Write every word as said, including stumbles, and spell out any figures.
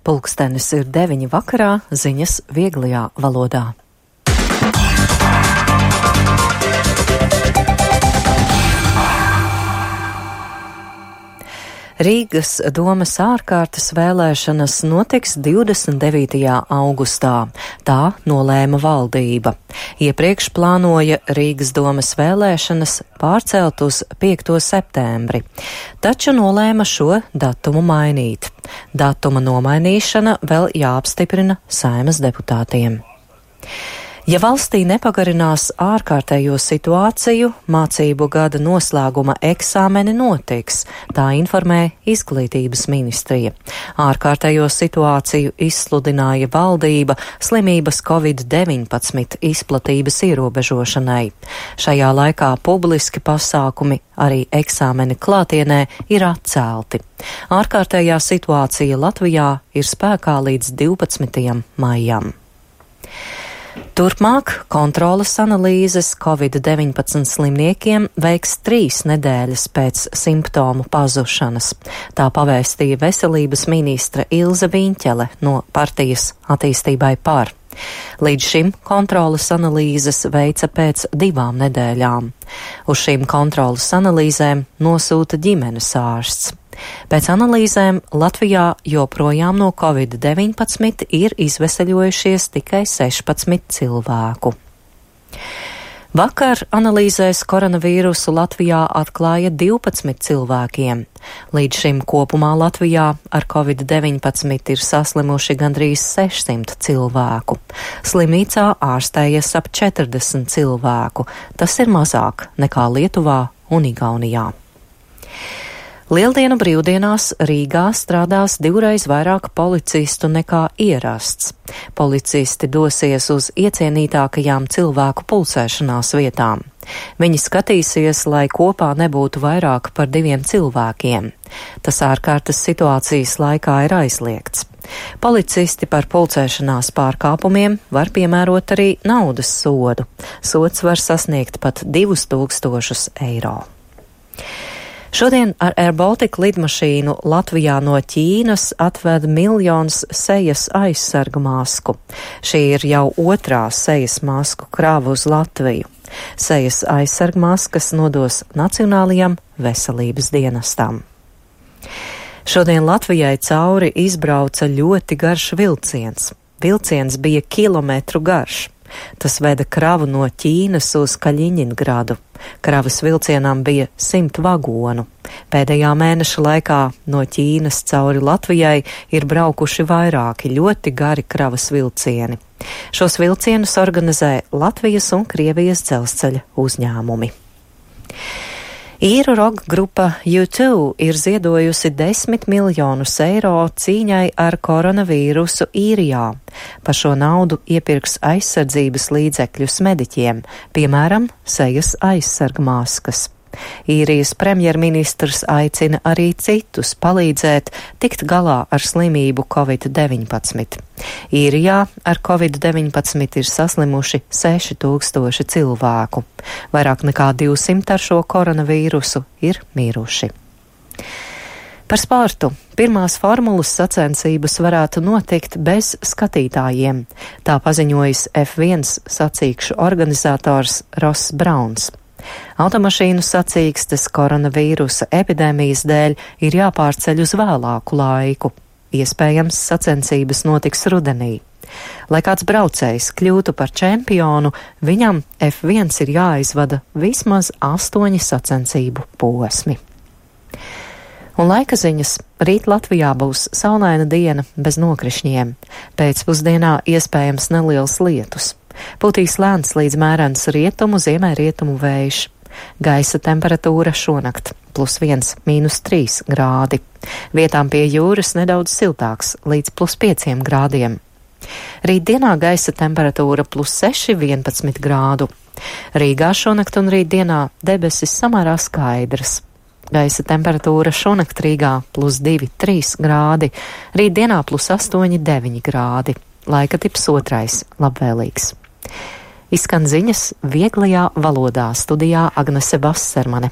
Pulkstenis ir deviņi vakarā, ziņas vieglajā valodā. Rīgas domes ārkārtas vēlēšanas notiks divdesmit devītajā augustā. Tā nolēma valdība. Iepriekš plānoja Rīgas domes vēlēšanas pārcelt uz piekto septembri, taču nolēma šo datumu mainīt. Datuma nomainīšana vēl jāapstiprina Saeimas deputātiem. Ja valstī nepagarinās ārkārtējo situāciju, mācību gada noslēguma eksāmeni notiks, tā informē Izglītības ministrija. Ārkārtējo situāciju izsludināja valdība slimības covid deviņpadsmit izplatības ierobežošanai. Šajā laikā publiski pasākumi, arī eksāmeni klātienē, ir atcelti. Ārkārtējā situācija Latvijā ir spēkā līdz divpadsmitajam maijam. Turpmāk kontroles analīzes covid deviņpadsmit slimniekiem veiks trīs nedēļas pēc simptomu pazušanas. Tā pavēstīja veselības ministre Ilze Viņķele no partijas Attīstībai par. Līdz šim kontroles analīzes veica pēc divām nedēļām. Uz šīm kontroles analīzēm nosūta ģimenes ārsts. Pēc analīzēm Latvijā joprojām no covid deviņpadsmit ir izveseļojušies tikai sešpadsmit cilvēku. Vakar analīzēs koronavīrusu Latvijā atklāja divpadsmit cilvēkiem. Līdz šim kopumā Latvijā ar covid deviņpadsmit ir saslimuši gandrīz sešsimt cilvēku. Slimnīcā ārstējies ap četrdesmit cilvēku. Tas ir mazāk nekā Lietuvā un Igaunijā. Lieldienu brīvdienās Rīgā strādās divreiz vairāk policistu nekā ierasts. Policisti dosies uz iecienītākajām cilvēku pulcēšanās vietām. Viņi skatīsies, lai kopā nebūtu vairāk par diviem cilvēkiem. Tas ārkārtas situācijas laikā ir aizliegts. Policisti par pulcēšanās pārkāpumiem var piemērot arī naudas sodu. Sods var sasniegt pat divus tūkstošus eiro. Šodien ar Air Baltica lidmašīnu Latvijā no Ķīnas atved miljons sejas aizsargu masku. Šī ir jau otrā sejas masku krāva uz Latviju. Sejas aizsargu maskas nodos Nacionālajam veselības dienestam. Šodien Latvijai cauri izbrauca ļoti garš vilciens. Vilciens bija kilometru garš. Tas veda kravu no Ķīnas uz Kaļiņingradu. Kravas vilcienām bija simt vagonu. Pēdējā mēneša laikā no Ķīnas cauri Latvijai ir braukuši vairāki ļoti gari kravas vilcieni. Šos vilcienus organizē Latvijas un Krievijas dzelzceļa uzņēmumi. Īru roka grupa U two ir ziedojusi desmit miljonus eiro cīņai ar koronavīrusu Īrijā. Par šo naudu iepirks aizsardzības līdzekļus mediķiem, piemēram, sejas aizsargmaskas. Īrijas premjerministrs aicina arī citus palīdzēt tikt galā ar slimību covid deviņpadsmit. Īrijā ar covid deviņpadsmit ir saslimuši seši tūkstoši cilvēku. Vairāk nekā divsimt ar šo koronavīrusu ir miruši. Par sportu. Pirmās formulas sacensības varētu notikt bez skatītājiem. Tā paziņojis F viens sacīkšu organizators Ross Brauns. Automašīnu sacīkstes koronavīrusa epidēmijas dēļ ir jāpārceļ uz vēlāku laiku. Iespējams, sacensības notiks rudenī. Lai kāds braucējs kļūtu par čempionu, viņam F viens ir jāizvada vismaz astoņi sacensību posmi. Un laika ziņas. Rīt Latvijā būs saulaina diena bez nokrišņiem. Pēcpusdienā iespējams neliels lietus. Pūtīs lēns līdz mērens rietumu, ziemeļrietumu vējš. Gaisa temperatūra šonakt plus viens, mīnus trīs grādi. Vietām pie jūras nedaudz siltāks līdz plus pieciem grādiem. Rītdienā gaisa temperatūra plus seši, vienpadsmit grādu. Rīgā šonakt un rītdienā debesis samērā skaidras. Gaisa temperatūra šonakt Rīgā plus divi, trīs grādi. Rītdienā plus astoņi, deviņi grādi. Laika tips otrais, labvēlīgs. Izskan ziņas vieglajā valodā, studijā Agnese Vassermane.